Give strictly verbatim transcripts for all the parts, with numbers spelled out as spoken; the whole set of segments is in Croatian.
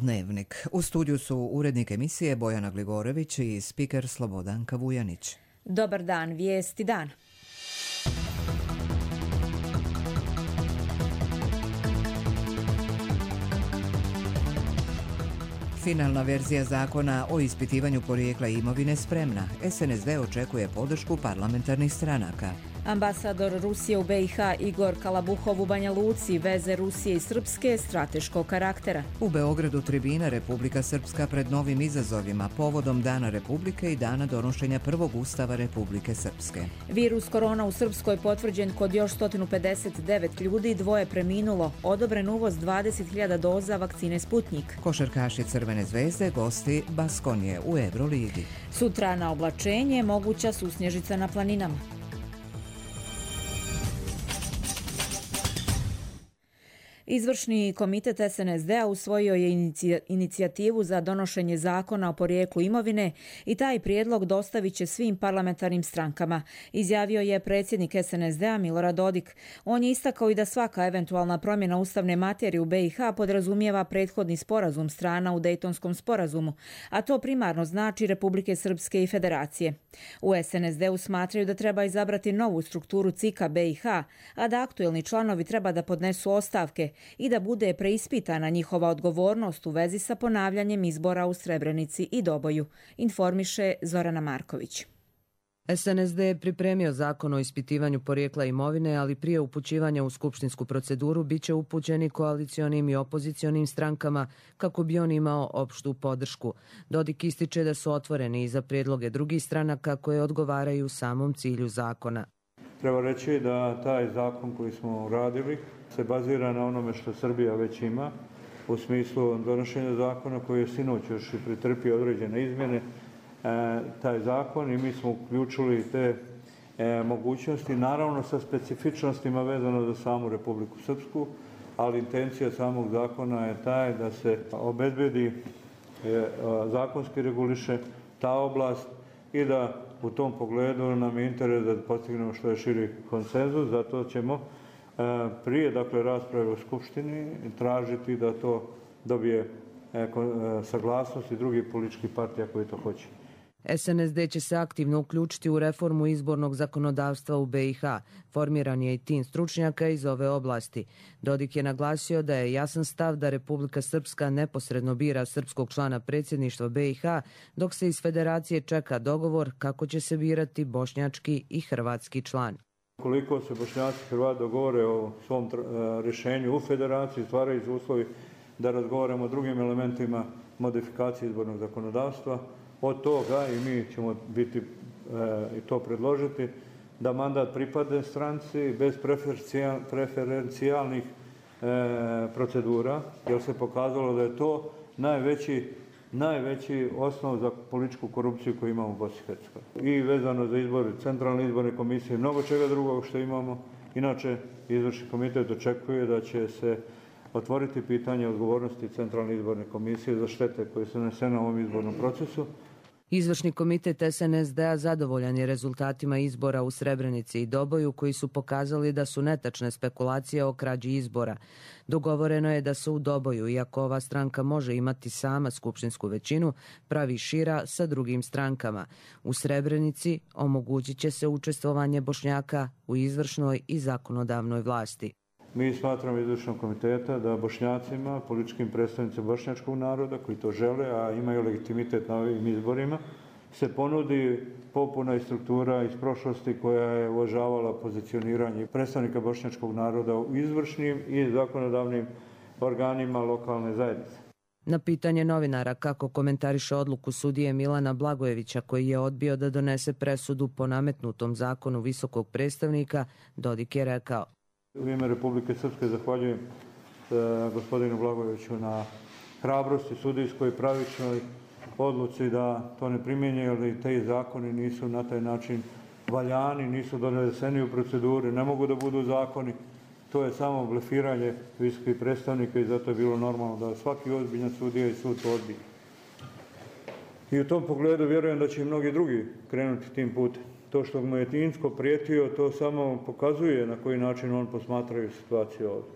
Dnevnik. U studiju su urednik emisije Bojana Gligorević i spiker Slobodanka Vujanić. Dobar dan, vijesti dan. Finalna verzija zakona o ispitivanju porijekla imovine spremna. S N S D očekuje podršku parlamentarnih stranaka. Ambasador Rusije u B i H Igor Kalabuhov u Banja Luci, veze Rusije i Srpske strateškog karaktera. U Beogradu tribina Republika Srpska pred novim izazovima povodom Dana Republike i dana donošenja prvog ustava Republike Srpske. Virus korona u Srpskoj potvrđen kod još sto pedeset devet ljudi, dvoje preminulo. Odobren uvoz dvadeset hiljada doza vakcine Sputnjik. Košarkaši Crvene zvezde gosti Baskonije u Euroligi. Sutra na oblačenje moguća susnježica na planinama. Izvršni komitet S N S D-a usvojio je inicija, inicijativu za donošenje zakona o porijeklu imovine i taj prijedlog dostavit će svim parlamentarnim strankama, izjavio je predsjednik S N S D-a Milorad Dodik. On je istakao i da svaka eventualna promjena ustavne materije u B i H podrazumijeva prethodni sporazum strana u Dejtonskom sporazumu, a to primarno znači Republike Srpske i Federacije. U S N S D-u smatraju da treba izabrati novu strukturu C I K-a B i H, a da aktuelni članovi treba da podnesu ostavke i da bude preispitana njihova odgovornost u vezi sa ponavljanjem izbora u Srebrenici i Doboju, informiše Zorana Marković. S N S D je pripremio zakon o ispitivanju porijekla imovine, ali prije upućivanja u skupštinsku proceduru biće upućeni koalicionim i opozicionim strankama kako bi on imao opštu podršku. Dodik ističe da su otvoreni i za prijedloge drugih stranaka koje odgovaraju samom cilju zakona. Treba reći da taj zakon koji smo uradili se bazira na onome što Srbija već ima u smislu donošenja zakona koji je sinoć još i pretrpio određene izmjene. E, taj zakon i mi smo uključili te e, mogućnosti, naravno sa specifičnostima vezano za samu Republiku Srpsku, ali intencija samog zakona je taj da se obezbedi e, zakonski reguliše ta oblast i da u tom pogledu nam je interes da postignemo što je širi konsenzus, zato ćemo prije dakle rasprave u Skupštini tražiti da to dobije saglasnost i drugih političkih partija koji to hoće. S N S D će se aktivno uključiti u reformu izbornog zakonodavstva u B i H. Formiran je i tim stručnjaka iz ove oblasti. Dodik je naglasio da je jasan stav da Republika Srpska neposredno bira srpskog člana predsjedništva B i H, dok se iz Federacije čeka dogovor kako će se birati bošnjački i hrvatski član. Koliko se Bošnjaci i Hrvati dogovore o svom rješenju u Federaciji, stvaraju se uslovi da razgovaramo o drugim elementima modifikacije izbornog zakonodavstva. Od toga i mi ćemo biti e, i to predložiti da mandat pripadne stranci bez preferencijal, preferencijalnih e, procedura, jer se pokazalo da je to najveći, najveći osnov za političku korupciju koju imamo u Bosni i Hercegovini. I vezano za izbor centralne izborne komisije i mnogo čega drugog što imamo. Inače, izvršni komitet očekuje da će se otvoriti pitanje odgovornosti centralne izborne komisije za štete koje su nanesene u ovom izbornom procesu. Izvršni komitet S N S D-a zadovoljan je rezultatima izbora u Srebrenici i Doboju koji su pokazali da su netačne spekulacije o krađi izbora. Dogovoreno je da se u Doboju, iako ova stranka može imati sama skupštinsku većinu, pravi šira sa drugim strankama. U Srebrenici omogućit će se učestvovanje Bošnjaka u izvršnoj i zakonodavnoj vlasti. Mi smatramo izvršnog komiteta da Bošnjacima, političkim predstavnicima bošnjačkog naroda koji to žele, a imaju legitimitet na ovim izborima, se ponudi popuna i struktura iz prošlosti koja je uvažavala pozicioniranje predstavnika bošnjačkog naroda u izvršnim i zakonodavnim organima lokalne zajednice. Na pitanje novinara kako komentariše odluku sudije Milana Blagojevića koji je odbio da donese presudu po nametnutom zakonu visokog predstavnika, Dodik je rekao: U ime Republike Srpske zahvaljujem e, gospodinu Blagojeviću na hrabrosti sudijskoj pravičnoj odluci da to ne primjenjuje, jer te zakoni nisu na taj način valjani, nisu doneseni u proceduri, ne mogu da budu zakoni. To je samo blefiranje visokih predstavnika i zato je bilo normalno da svaki ozbiljan sudija i sud to odbije. I u tom pogledu vjerujem da će i mnogi drugi krenuti tim putem. To što mu je Tinsko prijetio, to samo pokazuje na koji način on posmatraju situaciju ovdje.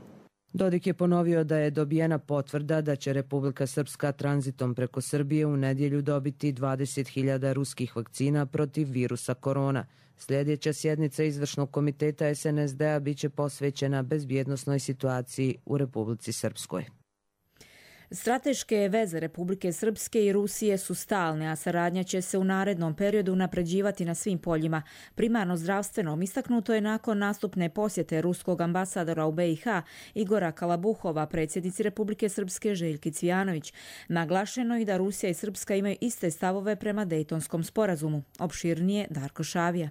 Dodik je ponovio da je dobijena potvrda da će Republika Srpska tranzitom preko Srbije u nedjelju dobiti dvadeset hiljada ruskih vakcina protiv virusa korona. Sljedeća sjednica Izvršnog komiteta es en es de a biće posvećena bezbjednosnoj situaciji u Republici Srpskoj. Strateške veze Republike Srpske i Rusije su stalne, a saradnja će se u narednom periodu unapređivati na svim poljima. Primarno zdravstvenom istaknuto je nakon nastupne posjete ruskog ambasadora u be i ha Igora Kalabuhova predsjednici Republike Srpske Željki Cvijanović. Naglašeno je da Rusija i Srpska imaju iste stavove prema Dejtonskom sporazumu. Opširnije Darko Šavija.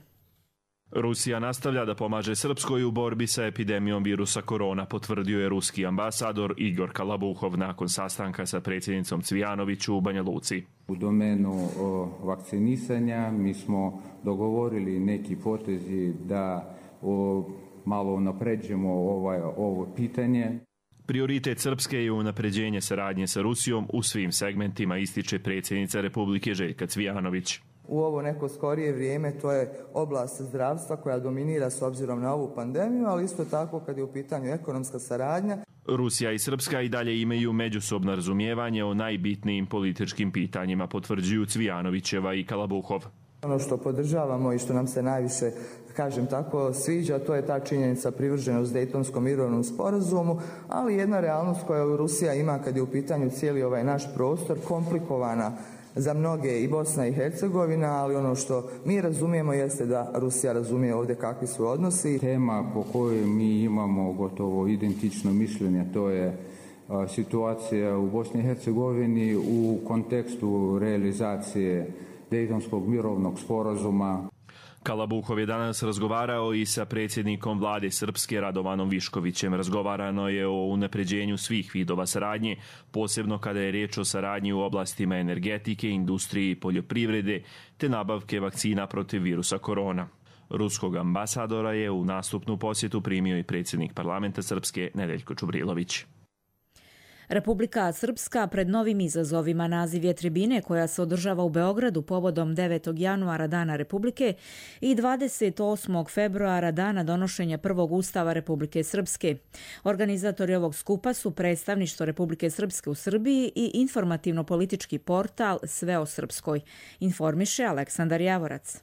Rusija nastavlja da pomaže Srpskoj u borbi sa epidemijom virusa korona, potvrdio je ruski ambasador Igor Kalabuhov nakon sastanka sa predsjednicom Cvijanović u Banja Luci. U domenu o, vakcinisanja mi smo dogovorili neki potezi da o, malo unapređujemo ovaj, ovo pitanje. Prioritet Srpske je unapređenje saradnje sa Rusijom u svim segmentima, ističe predsjednica Republike Željka Cvijanović. U ovo neko skorije vrijeme to je oblast zdravstva koja dominira s obzirom na ovu pandemiju, ali isto tako kad je u pitanju ekonomska saradnja. Rusija i Srpska i dalje imaju međusobno razumijevanje o najbitnijim političkim pitanjima, potvrđuju Cvijanovićeva i Kalabuhov. Ono što podržavamo i što nam se najviše, kažem tako, sviđa, to je ta činjenica privrženost Dejtonskom mirovnom sporazumu, ali jedna realnost koju Rusija ima kad je u pitanju cijeli ovaj naš prostor, komplikovana za mnoge i Bosna i Hercegovina, ali ono što mi razumijemo jeste da Rusija razumije ovdje kakvi su odnosi. Tema po kojoj mi imamo gotovo identično mišljenje, to je a, situacija u Bosni i Hercegovini u kontekstu realizacije Dejtonskog mirovnog sporazuma. Kalabuhov je danas razgovarao i sa predsjednikom vlade Srpske Radovanom Viškovićem. Razgovarano je o unapređenju svih vidova saradnje, posebno kada je riječ o saradnji u oblastima energetike, industrije i poljoprivrede, te nabavke vakcina protiv virusa korona. Ruskog ambasadora je u nastupnu posjetu primio i predsjednik parlamenta Srpske Nedeljko Čubrilović. Republika Srpska pred novim izazovima. Naziv je tribine koja se održava u Beogradu povodom devetog januara Dana Republike i dvadeset osmog februara Dana donošenja prvog ustava Republike Srpske. Organizatori ovog skupa su predstavništvo Republike Srpske u Srbiji i informativno-politički portal Sve o Srpskoj. Informiše Aleksandar Javorac.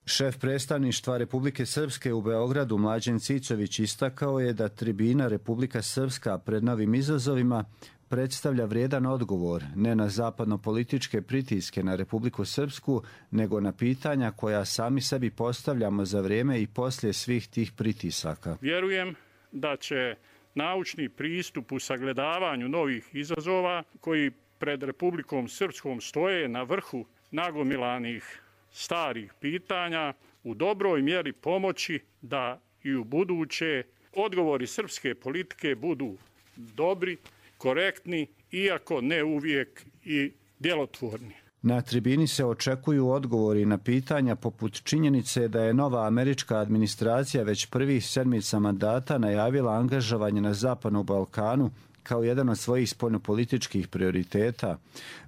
Šef predstavništva Republike Srpske u Beogradu Mlađen Cicović istakao je da tribina Republika Srpska pred novim izazovima predstavlja vrijedan odgovor ne na zapadno-političke pritiske na Republiku Srpsku, nego na pitanja koja sami sebi postavljamo za vrijeme i poslije svih tih pritisaka. Vjerujem da će naučni pristup u sagledavanju novih izazova koji pred Republikom Srpskom stoje na vrhu nagomilanih starih pitanja u dobroj mjeri pomoći da i u buduće odgovori srpske politike budu dobri, korektni, iako ne uvijek i djelotvorni. Na tribini se očekuju odgovori na pitanja poput činjenice da je nova američka administracija već prvih sedmica mandata najavila angažovanje na Zapadnom Balkanu kao jedan od svojih spoljnopolitičkih prioriteta.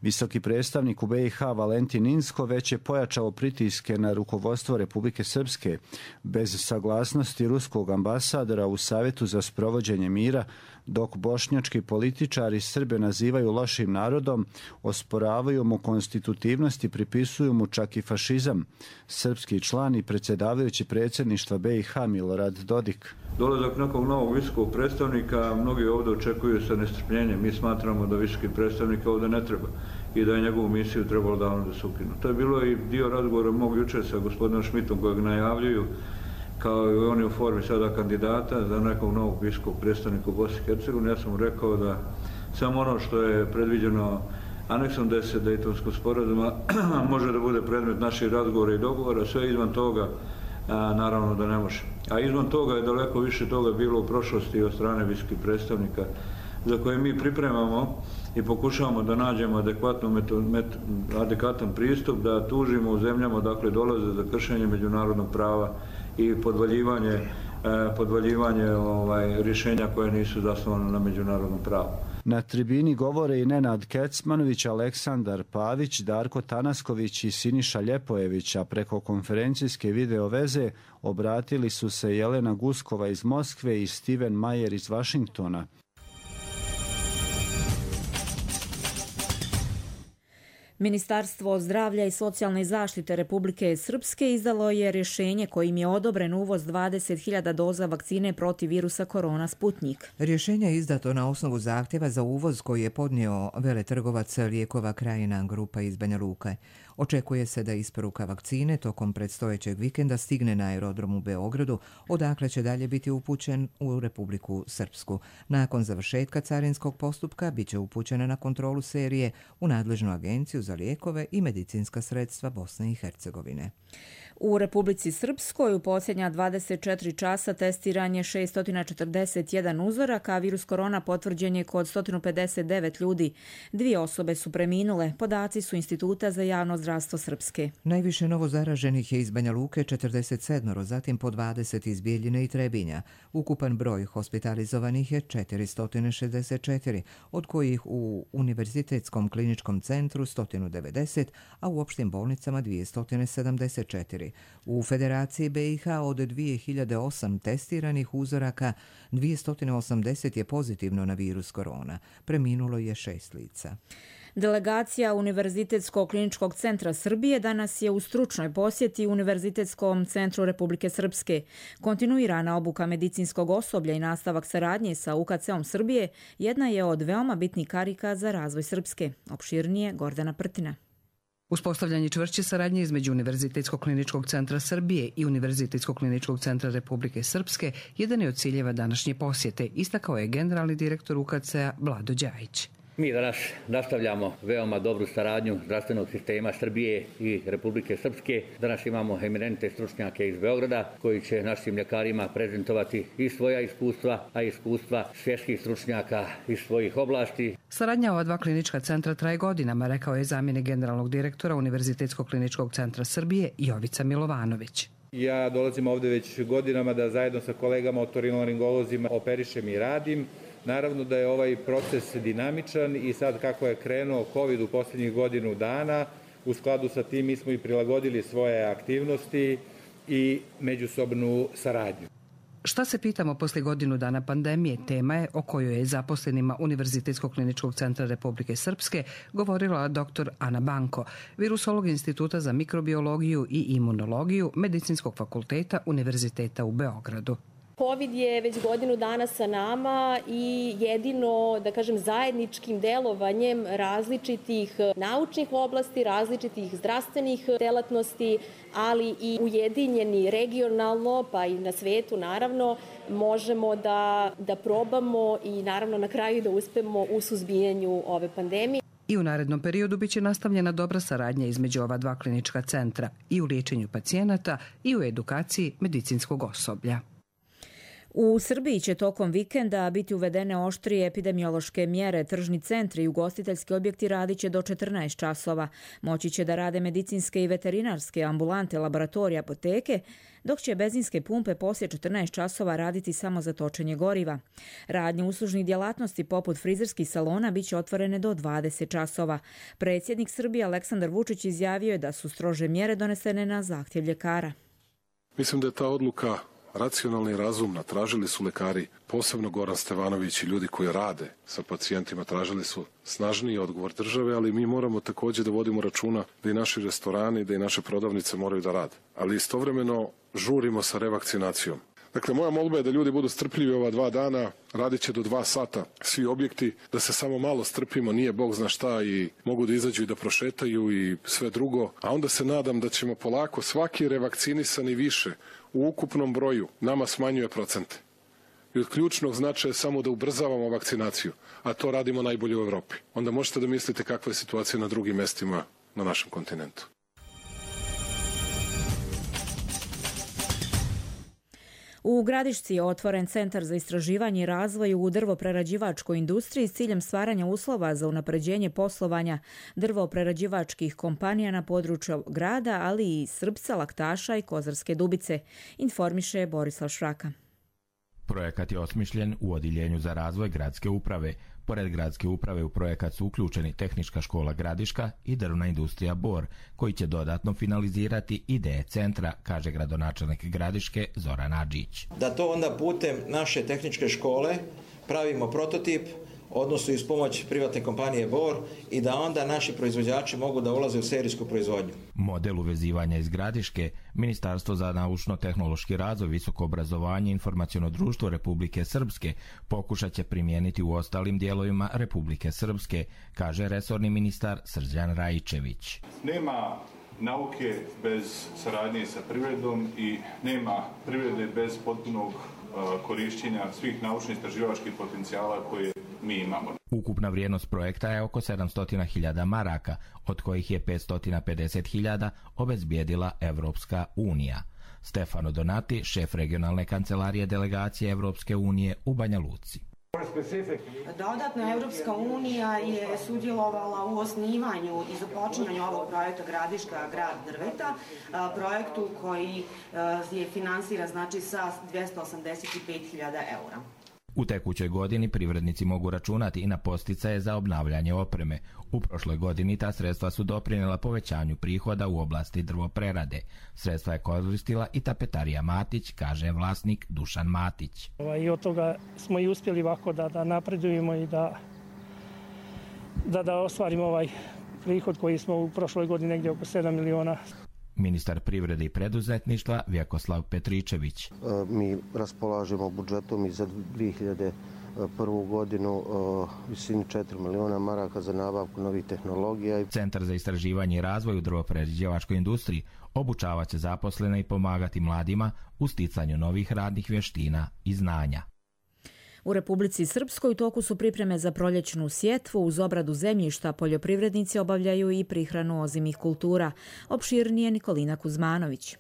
Visoki predstavnik u be i ha Valentin Inzko već je pojačao pritiske na rukovodstvo Republike Srpske. Bez saglasnosti ruskog ambasadora u Savjetu za sprovođenje mira, dok bošnjački političari Srbe nazivaju lošim narodom, osporavaju mu konstitutivnost i pripisuju mu čak i fašizam. Srpski član i predsjedavajući predsjedništva be i ha Milorad Dodik. Dolazak nekog novog visokog predstavnika mnogi ovdje očekuju sa nestrpljenjem. Mi smatramo da visoki predstavnik ovdje ne treba i da je njegovu misiju trebalo davno da se ukinu. To je bilo i dio razgovora mog jučer sa gospodinom Šmitom kojeg najavljuju kao i oni u formi sada kandidata za nekog novog visokog predstavnika u Bosni i Hercegovini. Ja sam mu rekao da samo ono što je predviđeno aneksom deset Dejtonskog sporazuma može da bude predmet naših razgovora i dogovora, sve izvan toga a, naravno da ne može. A izvan toga je daleko više toga bilo u prošlosti od strane visokih predstavnika za koje mi pripremamo i pokušavamo da nađemo adekvatno meto, met, adekvatan pristup, da tužimo u zemljama dakle dolaze za kršenje međunarodnog prava i podvaljivanje, eh, podvaljivanje ovaj, rješenja koje nisu zasnovane na međunarodnom pravu. Na tribini govore i Nenad Kecmanović, Aleksandar Pavić, Darko Tanasković i Siniša Ljepojević, a preko konferencijske video veze obratili su se Jelena Guskova iz Moskve i Steven Mayer iz Vašingtona. Ministarstvo zdravlja i socijalne zaštite Republike Srpske izdalo je rješenje kojim je odobren uvoz dvadeset hiljada doza vakcine protiv virusa korona Sputnjik. Rješenje je izdato na osnovu zahtjeva za uvoz koji je podnio veletrgovac lijekova Krajina grupa iz Banja Luke. Očekuje se da isporuka vakcine tokom predstojećeg vikenda stigne na aerodrom u Beogradu, odakle će dalje biti upućen u Republiku Srpsku. Nakon završetka carinskog postupka bit će upućena na kontrolu serije u nadležnu agenciju za lijekove i medicinska sredstva Bosne i Hercegovine. U Republici Srpskoj u posljednja dvadeset četiri časa testiran je šesto četrdeset jedan uzorak, a virus korona potvrđen je kod sto pedeset devet ljudi. Dvije osobe su preminule, podaci su Instituta za javno zdravstvo Srpske. Najviše novo zaraženih je iz Banja Luke četrdeset sedam, zatim po dvadeset iz Bijeljine i Trebinja. Ukupan broj hospitalizovanih je četiristo šezdeset četiri, od kojih u Univerzitetskom kliničkom centru sto devedeset, a u opštim bolnicama dvjesto sedamdeset četiri. U Federaciji be i ha od dvije hiljade osam testiranih uzoraka dvjesto osamdeset je pozitivno na virus korona. Preminulo je šest lica. Delegacija Univerzitetskog kliničkog centra Srbije danas je u stručnoj posjeti Univerzitetskom centru Republike Srpske. Kontinuirana obuka medicinskog osoblja i nastavak saradnje sa u ka ce-om Srbije jedna je od veoma bitnih karika za razvoj Srpske. Opširnije Gordana Prtina. Uspostavljanje čvršće saradnje između Univerzitetskog kliničkog centra Srbije i Univerzitetskog kliničkog centra Republike Srpske jedan je od ciljeva današnje posjete, istakao je generalni direktor u ka ce-a Vlado Đajić. Mi danas nastavljamo veoma dobru saradnju zdravstvenog sistema Srbije i Republike Srpske. Danas imamo eminentne stručnjake iz Beograda koji će našim ljekarima prezentovati i svoja iskustva, a iskustva svjetskih stručnjaka iz svojih oblasti. Saradnja ova dva klinička centra traje godinama, rekao je zamjenik generalnog direktora Univerzitetskog kliničkog centra Srbije Jovica Milovanović. Ja dolazim ovde već godinama da zajedno sa kolegama otorinolaringolozima operišem i radim. Naravno da je ovaj proces dinamičan i sad kako je krenuo COVID u posljednjih godinu dana, u skladu sa tim mi smo i prilagodili svoje aktivnosti i međusobnu saradnju. Šta se pitamo poslije godinu dana pandemije, tema je o kojoj je zaposlenima Univerzitetskog kliničkog centra Republike Srpske govorila doktor Ana Banko, virusolog Instituta za mikrobiologiju i imunologiju Medicinskog fakulteta Univerziteta u Beogradu. COVID je već godinu dana sa nama i jedino, da kažem, zajedničkim delovanjem različitih naučnih oblasti, različitih zdravstvenih delatnosti, ali i ujedinjeni regionalno, pa i na svetu naravno, možemo da, da probamo i naravno na kraju da uspemo u suzbijanju ove pandemije. I u narednom periodu biće nastavljena dobra saradnja između ova dva klinička centra i u liječenju pacijenata i u edukaciji medicinskog osoblja. U Srbiji će tokom vikenda biti uvedene oštrije epidemiološke mjere. Tržni centri i ugostiteljski objekti radit će do četrnaest časova. Moći će da rade medicinske i veterinarske ambulante, laboratorije, apoteke, dok će benzinske pumpe poslije četrnaest časova raditi samo za točenje goriva. Radnje uslužnih djelatnosti poput frizerskih salona biće otvorene do dvadeset časova. Predsjednik Srbije Aleksandar Vučić izjavio je da su strože mjere donesene na zahtjev ljekara. Mislim da je ta odluka racionalna i razumna. Tražili su lekari, posebno Goran Stevanović i ljudi koji rade sa pacijentima, tražili su snažniji odgovor države, ali mi moramo također da vodimo računa da i naši restorani, da i naše prodavnice moraju da rade. Ali istovremeno žurimo sa revakcinacijom. Dakle, moja molba je da ljudi budu strpljivi ova dva dana, radit će do dva sata svi objekti, da se samo malo strpimo, nije Bog zna šta i mogu da izađu i da prošetaju i sve drugo, a onda se nadam da ćemo polako svaki revakcinisani više u ukupnom broju nama smanjuje procente. I od ključnog značaja je samo da ubrzavamo vakcinaciju, a to radimo najbolje u Evropi. Onda možete da mislite kakva je situacija na drugim mestima na našem kontinentu. U Gradišci je otvoren centar za istraživanje i razvoj u drvoprerađivačkoj industriji s ciljem stvaranja uslova za unapređenje poslovanja drvoprerađivačkih kompanija na području grada, ali i Srpca, Laktaša i Kozarske Dubice, informiše Borislav Šraka. Projekat je osmišljen u Odjeljenju za razvoj gradske uprave Pored gradske uprave u projekat su uključeni Tehnička škola Gradiška i Drvna industrija Bor, koji će dodatno finalizirati ideje centra, kaže gradonačelnik Gradiške Zoran Adžić. Da to onda putem naše tehničke škole pravimo prototip, odnosno iz pomoć privatne kompanije Bor, i da onda naši proizvođači mogu da ulaze u serijsku proizvodnju. Model uvezivanja iz Gradiške Ministarstvo za naučno-tehnološki razvoj, visoko obrazovanje i informaciono društvo Republike Srpske pokušat će primijeniti u ostalim dijelovima Republike Srpske, kaže resorni ministar Srđan Rajičević. Nema nauke bez saradnje sa privredom i nema privrede bez potpunog korišćenja svih naučno-istraživačkih potencijala koje mi imamo. Ukupna vrijednost projekta je oko sedamsto hiljada maraka, od kojih je petsto pedeset hiljada obezbijedila Evropska unija. Stefano Donati, šef regionalne kancelarije delegacije Evropske unije u Banja Luci. Dodatno, Evropska unija je sudjelovala u osnivanju i započinjanju ovog projekta Gradiška grad drveta, projektu koji je finansiran znači sa dvjesto osamdeset pet hiljada eura. U tekućoj godini privrednici mogu računati i na podsticaje za obnavljanje opreme. U prošloj godini ta sredstva su doprinijela povećanju prihoda u oblasti drvoprerade. Sredstva je koristila i tapetarija Matić, kaže vlasnik Dušan Matić. I od toga smo i uspjeli ovako da, da napredujemo i da, da, da ostvarimo ovaj prihod koji smo u prošloj godini negdje oko sedam miliona. Ministar privrede i preduzetništva Vjekoslav Petričević. Mi raspolažemo budžetom i za dvije hiljade prvu godinu visini četiri miliona maraka za nabavku novih tehnologija. Centar za istraživanje i razvoj u drvoprerađivačkoj industriji obučavat će zaposlene i pomagati mladima u sticanju novih radnih vještina i znanja. U Republici Srpskoj u toku su pripreme za proljećnu sjetvu. Uz obradu zemljišta poljoprivrednici obavljaju i prihranu ozimih kultura. Opširnije Nikolina Kuzmanović.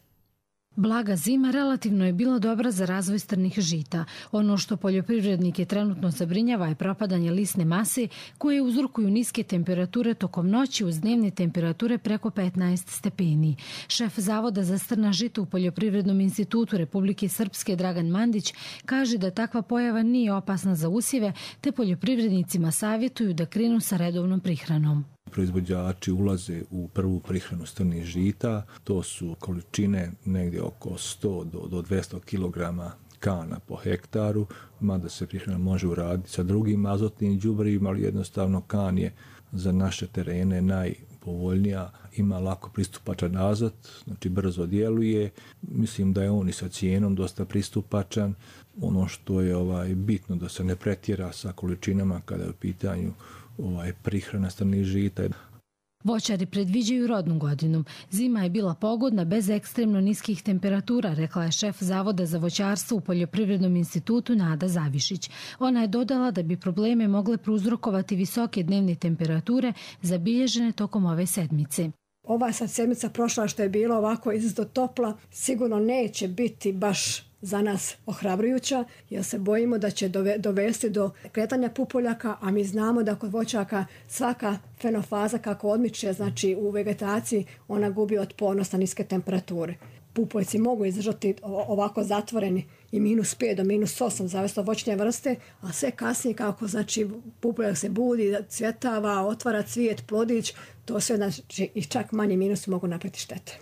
Blaga zima relativno je bila dobra za razvoj strnih žita. Ono što poljoprivrednike trenutno zabrinjava je propadanje lisne mase koje uzrokuju niske temperature tokom noći uz dnevne temperature preko petnaest stepeni. Šef Zavoda za strna žita u Poljoprivrednom institutu Republike Srpske Dragan Mandić kaže da takva pojava nije opasna za usjeve, te poljoprivrednicima savjetuju da krenu sa redovnom prihranom. Proizvođači ulaze u prvu prihranu strnih žita, to su količine negdje oko sto do dvjesto kilograma kana po hektaru, mada se prihrana može uraditi sa drugim azotnim đubrivima, ali jednostavno kan je za naše terene najpovoljnija, ima lako pristupačan azot, znači brzo djeluje, mislim da je on i sa cijenom dosta pristupačan. Ono što je ovaj bitno da se ne pretjera sa količinama kada je u pitanju ovaj prihrana strnih žita. Voćari predviđaju rodnu godinu. Zima je bila pogodna bez ekstremno niskih temperatura, rekla je šef Zavoda za voćarstvo u Poljoprivrednom institutu Nada Zavišić. Ona je dodala da bi probleme mogle prouzrokovati visoke dnevne temperature zabilježene tokom ove sedmice. Ova sad sedmica prošla što je bila ovako izrazito topla, sigurno neće biti baš za nas ohrabrujuća, jer se bojimo da će dovesti do kretanja pupoljaka, a mi znamo da kod voćaka svaka fenofaza kako odmiče, znači u vegetaciji, ona gubi otpornost na niske temperature. Pupoljci mogu izdržati ovako zatvoreni i minus pet do minus osam, zavisno od voćne vrste, a sve kasnije kako znači pupoljak se budi, cvjetava, otvara cvijet, plodić, to sve znači i čak manji minusi mogu napraviti štete.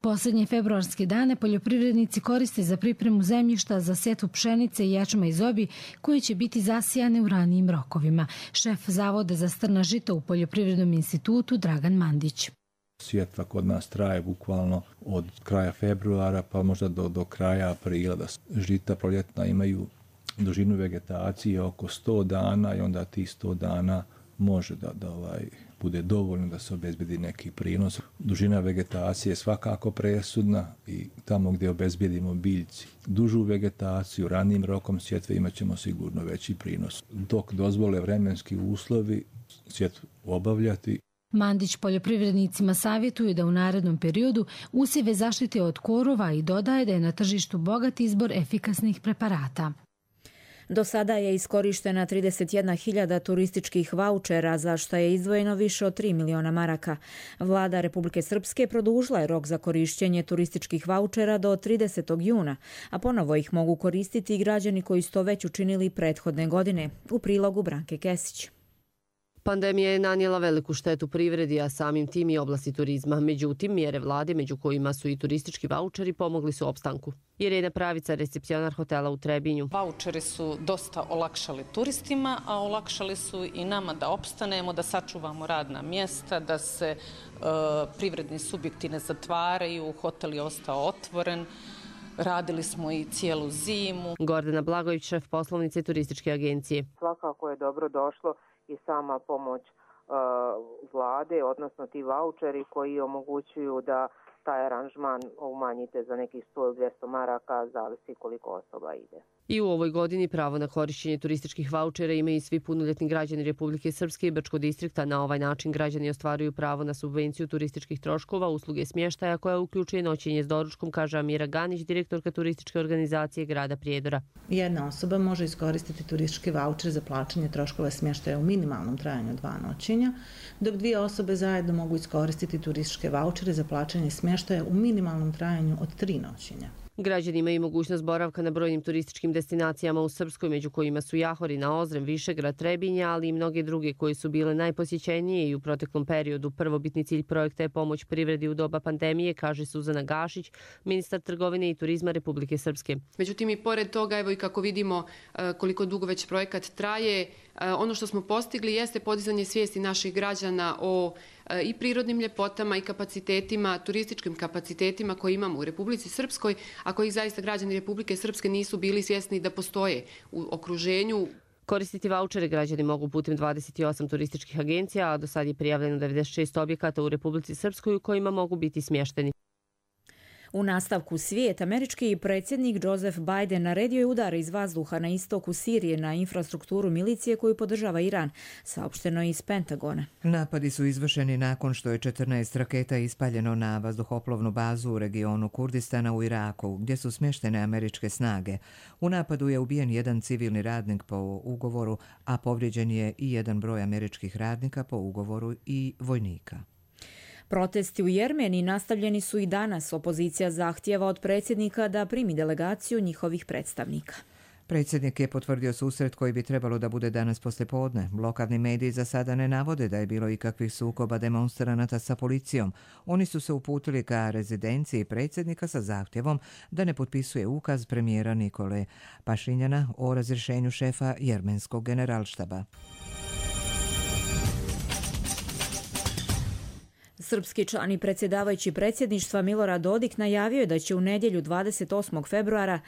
Posljednje februarske dane poljoprivrednici koriste za pripremu zemljišta za sjetvu pšenice i ječma iz obi koje će biti zasijane u ranijim rokovima. Šef Zavoda za strna žita u Poljoprivrednom institutu Dragan Mandić. Sjetva kod nas traje bukvalno od kraja februara pa možda do, do kraja aprila. Da žita proljetna imaju dužinu vegetacije oko sto dana i onda ti sto dana može da, da ovaj, bude dovoljno da se obezbedi neki prinos. Dužina vegetacije je svakako presudna i tamo gdje obezbedimo biljci dužu vegetaciju, ranijim rokom sjetve imat ćemo sigurno veći prinos. Dok dozvole vremenski uslovi sjetvu obavljati. Mandić poljoprivrednicima savjetuje da u narednom periodu usjeve zaštite od korova i dodaje da je na tržištu bogat izbor efikasnih preparata. Do sada je iskorištena trideset jedna hiljada turističkih vaučera, za što je izdvojeno više od tri miliona maraka. Vlada Republike Srpske produžila je rok za korišćenje turističkih vaučera do tridesetog juna, a ponovo ih mogu koristiti i građani koji su to već učinili prethodne godine. U prilogu Branke Kesić. Pandemija je nanijela veliku štetu privredi, a samim tim i oblasti turizma. Međutim, mjere vlade, među kojima su i turistički vaučeri, pomogli su opstanku. Irena Pravica, recepcionar hotela u Trebinju. Vaučeri su dosta olakšali turistima, a olakšali su i nama da opstanemo, da sačuvamo radna mjesta, da se e, privredni subjekti ne zatvaraju, hotel je ostao otvoren. Radili smo i cijelu zimu. Gordana Blagović, šef poslovnice turističke agencije. Svakako je dobro došlo i sama pomoć uh, vlade, odnosno ti vaučeri koji omogućuju da taj aranžman umanjite za nekih sto do dvjesto maraka, zavisi koliko osoba ide. I u ovoj godini pravo na korišćenje turističkih vaučera imaju i svi punoljetni građani Republike Srpske i Brčkog distrikta. Na ovaj način građani ostvaruju pravo na subvenciju turističkih troškova, usluge smještaja koja uključuje noćenje s doručkom, kaže Amira Ganić, direktorka turističke organizacije grada Prijedora. Jedna osoba može iskoristiti turistički vaučer za plaćanje troškova smještaja u minimalnom trajanju dva noćenja, dok dvije osobe zajedno mogu iskoristiti turističke vaučere za plaćanje smještaja u minimalnom trajanju od tri noćenja. Građani imaju mogućnost boravka na brojnim turističkim destinacijama u Srpskoj, među kojima su Jahorina, Ozren, Višegrad, Trebinja, ali i mnoge druge koje su bile najposjećenije i u proteklom periodu. Prvobitni cilj projekta je pomoć privredi u doba pandemije, kaže Suzana Gašić, ministar trgovine i turizma Republike Srpske. Međutim, i pored toga, evo i kako vidimo koliko dugo već projekat traje, ono što smo postigli jeste podizanje svijesti naših građana o i prirodnim ljepotama i kapacitetima, turističkim kapacitetima koje imamo u Republici Srpskoj, a kojih zaista građani Republike Srpske nisu bili svjesni da postoje u okruženju. Koristiti vaučere građani mogu putem dvadeset osam turističkih agencija, a do sad je prijavljeno devedeset šest objekata u Republici Srpskoj u kojima mogu biti smješteni. U nastavku svijet, američki predsjednik Joseph Biden naredio je udare iz vazduha na istoku Sirije na infrastrukturu milicije koju podržava Iran, saopšteno iz Pentagona. Napadi su izvršeni nakon što je četrnaest raketa ispaljeno na vazduhoplovnu bazu u regionu Kurdistana u Iraku, gdje su smještene američke snage. U napadu je ubijen jedan civilni radnik po ugovoru, a povrijeđen je i jedan broj američkih radnika po ugovoru i vojnika. Protesti u Jermeniji nastavljeni su i danas. Opozicija zahtijeva od predsjednika da primi delegaciju njihovih predstavnika. Predsjednik je potvrdio susret koji bi trebalo da bude danas poslijepodne. Lokalni mediji za sada ne navode da je bilo ikakvih sukoba demonstranata sa policijom. Oni su se uputili ka rezidenciji predsjednika sa zahtjevom da ne potpisuje ukaz premijera Nikole Pašinjana o razrješenju šefa jermenskog generalštaba. Srpski član i predsjedavajući predsjedništva Milorad Dodik najavio je da će u nedjelju dvadeset osmog februara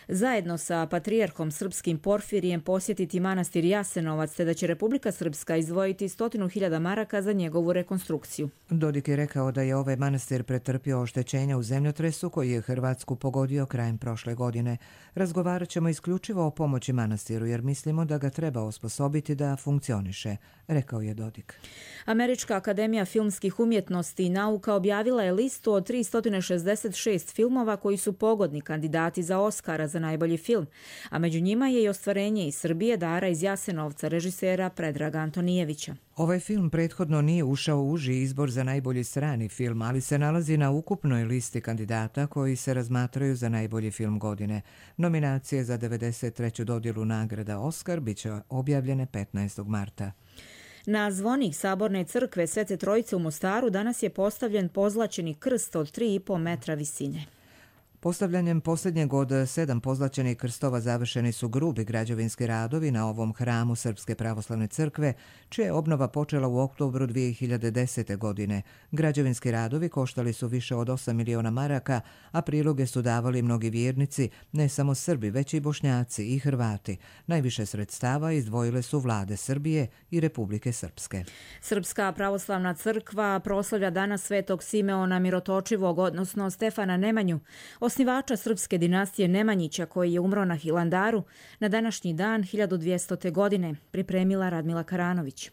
zajedno sa patrijarhom srpskim Porfirijem posjetiti manastir Jasenovac, te da će Republika Srpska izdvojiti stotinu hiljada maraka za njegovu rekonstrukciju. Dodik je rekao da je ovaj manastir pretrpio oštećenja u zemljotresu koji je Hrvatsku pogodio krajem prošle godine. Razgovarat ćemo isključivo o pomoći manastiru jer mislimo da ga treba osposobiti da funkcioniše, rekao je Dodik. Američka akademija filmskih umjetnosti i nauka objavila je listu od tristo šezdeset šest filmova koji su pogodni kandidati za Oskara za najbolji film, a među njima je i ostvarenje iz Srbije Dara iz Jasenovca režisera Predraga Antonijevića. Ovaj film prethodno nije ušao u uži izbor za najbolji strani film, ali se nalazi na ukupnoj listi kandidata koji se razmatraju za najbolji film godine. Nominacije za devedeset treću dodjelu nagrada Oskar biće objavljene petnaestog marta. Na zvonik Saborne crkve Svete Trojice u Mostaru danas je postavljen pozlaćeni krst od tri i po metra visine. Postavljanjem posljednjeg od sedam pozlaćenih krstova završeni su grubi građevinski radovi na ovom hramu Srpske pravoslavne crkve, čija je obnova počela u oktobru dvije hiljade desete. godine. Građevinski radovi koštali su više od osam miliona maraka, a priloge su davali mnogi vjernici, ne samo Srbi, već i Bošnjaci i Hrvati. Najviše sredstava izdvojile su vlade Srbije i Republike Srpske. Srpska pravoslavna crkva proslavlja danas Svetog Simeona Mirotočivog, odnosno Stefana Nemanju, osnivača srpske dinastije Nemanjića koji je umro na Hilandaru na današnji dan hiljadu dvjestote. godine, pripremila Radmila Karanović.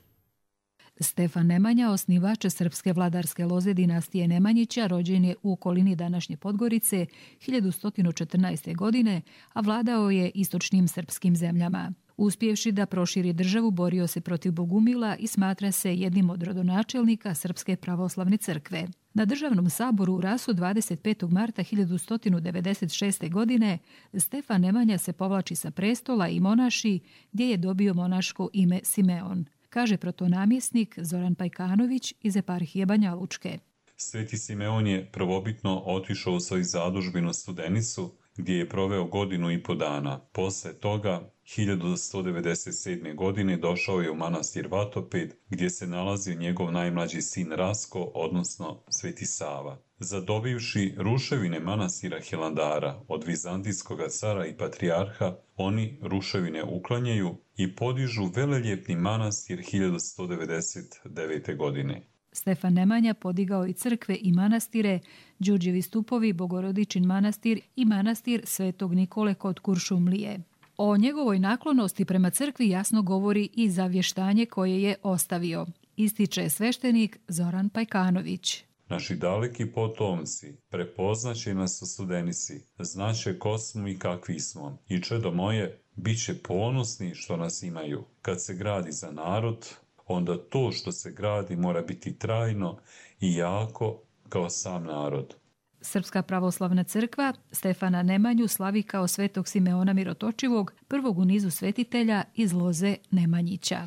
Stefan Nemanja, osnivač srpske vladarske loze dinastije Nemanjića, rođen je u okolini današnje Podgorice hiljadu sto četrnaeste. godine, a vladao je istočnim srpskim zemljama. Uspjevši da proširi državu, borio se protiv Bogumila i smatra se jednim od rodonačelnika Srpske pravoslavne crkve. Na državnom saboru u Rasu dvadeset petog marta hiljadu sto devedeset šeste. godine Stefan Nemanja se povlači sa prestola i monaši, gdje je dobio monaško ime Simeon, kaže protonamjesnik Zoran Pajkanović iz eparhije Banja Lučke. Sveti Simeon je prvobitno otišao u svoju zadužbinu Studenicu, gdje je proveo godinu i po dana. Posle toga, hiljadu sto devedeset sedme. godine, došao je u manastir Vatoped, gdje se nalazio njegov najmlađi sin Rasko, odnosno Sveti Sava. Zadobivši ruševine manastira Hilandara od vizantijskog cara i patrijarha, oni ruševine uklanjaju i podižu veleljepni manastir hiljadu sto devedeset devete. godine. Stefan Nemanja podigao i crkve i manastire, Đurđevi stupovi, Bogorodičin manastir i manastir Svetog Nikole kod Kuršumlije. O njegovoj naklonosti prema crkvi jasno govori i zavještanje koje je ostavio, ističe sveštenik Zoran Pajkanović. Naši daleki potomci prepoznaće nas u Studenici, znaće ko smo i kakvi smo. I čedo moje, bit će ponosni što nas imaju. Kad se gradi za narod, onda to što se gradi mora biti trajno i jako kao sam narod. Srpska pravoslavna crkva Stefana Nemanju slavi kao svetog Simeona Mirotočivog, prvog u nizu svetitelja iz loze Nemanjića.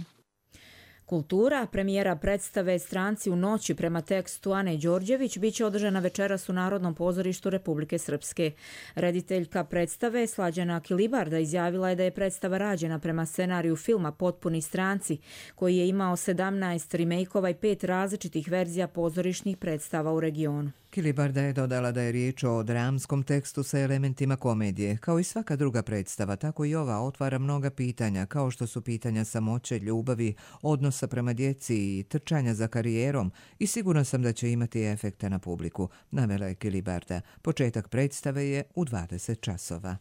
Kultura, premijera predstave Stranci u noći prema tekstu Ane Đorđević biće održana večeras u Narodnom pozorištu Republike Srpske. Rediteljka predstave Slađana Kilibarda izjavila je da je predstava rađena prema scenariju filma Potpuni stranci, koji je imao sedamnaest remejkova i pet različitih verzija pozorišnih predstava u regionu. Kilibarda je dodala da je riječ o dramskom tekstu sa elementima komedije. Kao i svaka druga predstava, tako i ova otvara mnoga pitanja, kao što su pitanja samoće, ljubavi, odnosa prema djeci i trčanja za karijerom, i sigurna sam da će imati efekta na publiku, navela je Kilibarda. Početak predstave je u dvadeset časova.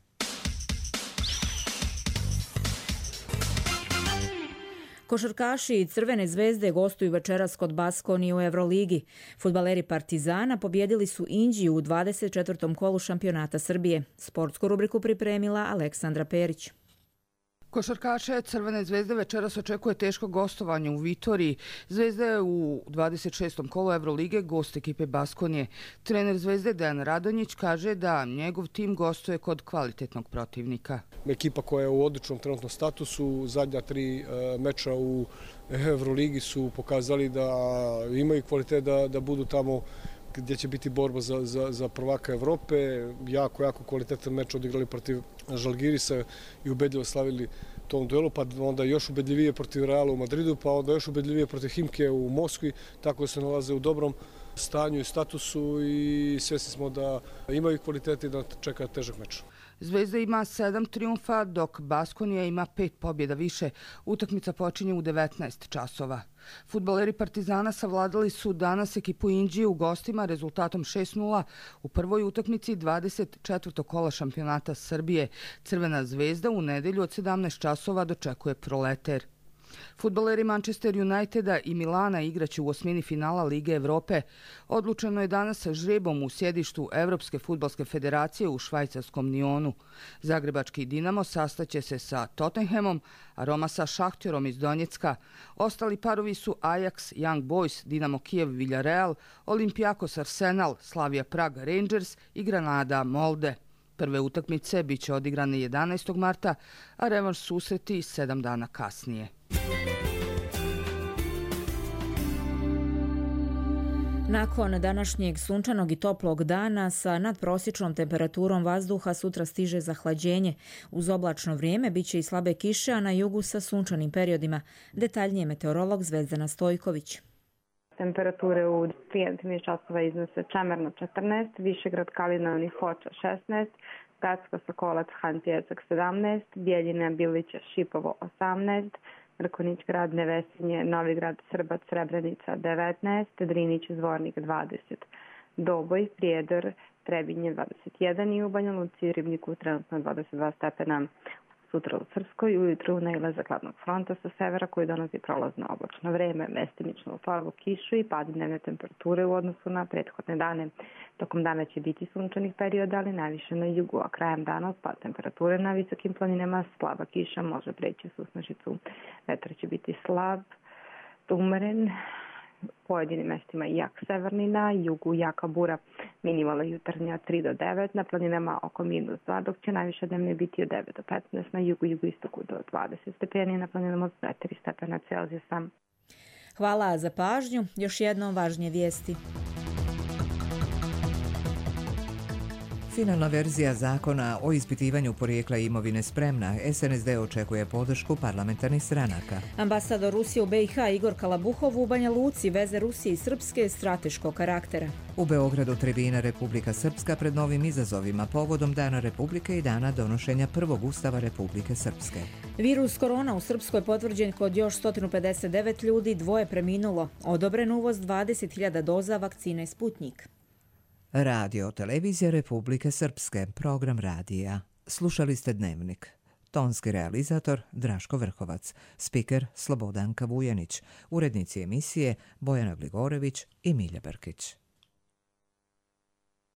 Košarkaši i Crvene zvezde gostuju večeras kod Baskonije u Euroligi. Fudbaleri Partizana pobjedili su Inđiju u dvadeset četvrtom kolu šampionata Srbije. Sportsku rubriku pripremila Aleksandra Perić. Košarkaše Crvene zvezde večeras očekuje teško gostovanje u Vitoriji. Zvezda je u dvadeset šestom kolu Evrolige gost ekipe Baskonije. Trener Zvezde Dejan Radonjić kaže da njegov tim gostuje kod kvalitetnog protivnika. Ekipa koja je u odličnom trenutnom statusu, zadnja tri meča u Evroligi su pokazali da imaju kvalitet da, da budu tamo gdje će biti borba za, za, za prvaka Evrope. Jako, jako kvalitetan meč odigrali protiv Žalgirisa i ubedljivo slavili tom duelu, pa onda još ubedljivije protiv Reala u Madridu, pa onda još ubedljivije protiv Himke u Moskvi, tako da se nalaze u dobrom stanju i statusu i svjesni smo da imaju kvalitete i da čeka težak meč. Zvezda ima sedam trijumfa, dok Baskonija ima pet pobjeda više. Utakmica počinje u devetnaest časova. Fudbaleri Partizana savladali su danas ekipu Inđije u gostima rezultatom šest nula u prvoj utakmici dvadeset četvrtog kola šampionata Srbije. Crvena zvezda u nedelju od sedamnaest časova dočekuje Proleter. Fudbaleri Manchester Uniteda i Milana igraće u osmini finala Lige Evrope. Odlučeno je danas žrebom u sjedištu Evropske fudbalske federacije u švajcarskom Nionu. Zagrebački Dinamo sastaće se sa Tottenhamom, a Roma sa Šahtjorom iz Donjecka. Ostali parovi su Ajax, Young Boys, Dinamo Kijev, Villarreal, Olympiakos Arsenal, Slavia Prag, Rangers i Granada Molde. Prve utakmice biće odigrane jedanaestog marta, a revanš susreti sedam dana kasnije. Nakon današnjeg sunčanog i toplog dana sa nadprosječnom temperaturom vazduha sutra stiže zahlađenje. Uz oblačno vrijeme biće i slabe kiše, a na jugu sa sunčanim periodima. Detaljnije meteorolog Zvezdana Stojković. Temperature u trideset časova iznose Čemerno četrnaest, Višegrad, Kalinovni, Hoča šesnaest, Gacko, Sokolac, Hantijecak sedamnaest, Bijeljina, Bilića, Šipovo osamnaest, Mrkonić, Grad, Nevesinje, Novigrad, Srbac, Srebrenica devetnaest, Drinić, Zvornik dvadeset, Doboj, Prijedor, Trebinje dvadeset jedan i u Banja Luci i Ribniku trenutno dvadeset dva stepena. sutra u Srpskoj ujutru nailazak hladnog fronta sa severa koji donosi prolazno oblačno vreme, mestimično slabu kišu i pad dnevne temperature u odnosu na prethodne dane. Tokom dana će biti sunčanih perioda, ali najviše na jugu, a krajem dana pad temperature na visokim planinama, slaba kiša može preći u susnežicu. Vetar će biti slab, umeren, pojedinim mestima jak severni, na jugu jaka bura, minimalna jutarnja tri do devet, na planinama oko minus dva, dok će najviše dnevne biti od devet do petnaest, na jugu jugoistoku do dvadeset stepeni, na planinama od četiri stepena Celzijusa. Hvala za pažnju. Još jednom važnije vijesti. Finalna verzija zakona o ispitivanju porijekla imovine spremna. S N S D očekuje podršku parlamentarnih stranaka. Ambasador Rusije u B i H Igor Kalabuhov u Banja Luci veze Rusije i Srpske strateškog karaktera. U Beogradu tribina Republika Srpska pred novim izazovima povodom Dana Republike i dana donošenja prvog Ustava Republike Srpske. Virus korona u Srpskoj potvrđen kod još sto pedeset devet ljudi, dvoje preminulo. Odobren uvoz dvadeset hiljada doza vakcine Sputnjik. Radio Televizija Republike Srpske, program radija. Slušali ste Dnevnik. Tonski realizator Draško Vrhovac, spiker Slobodanka Vujanić, urednici emisije Bojana Gligorević i Milja Brkić.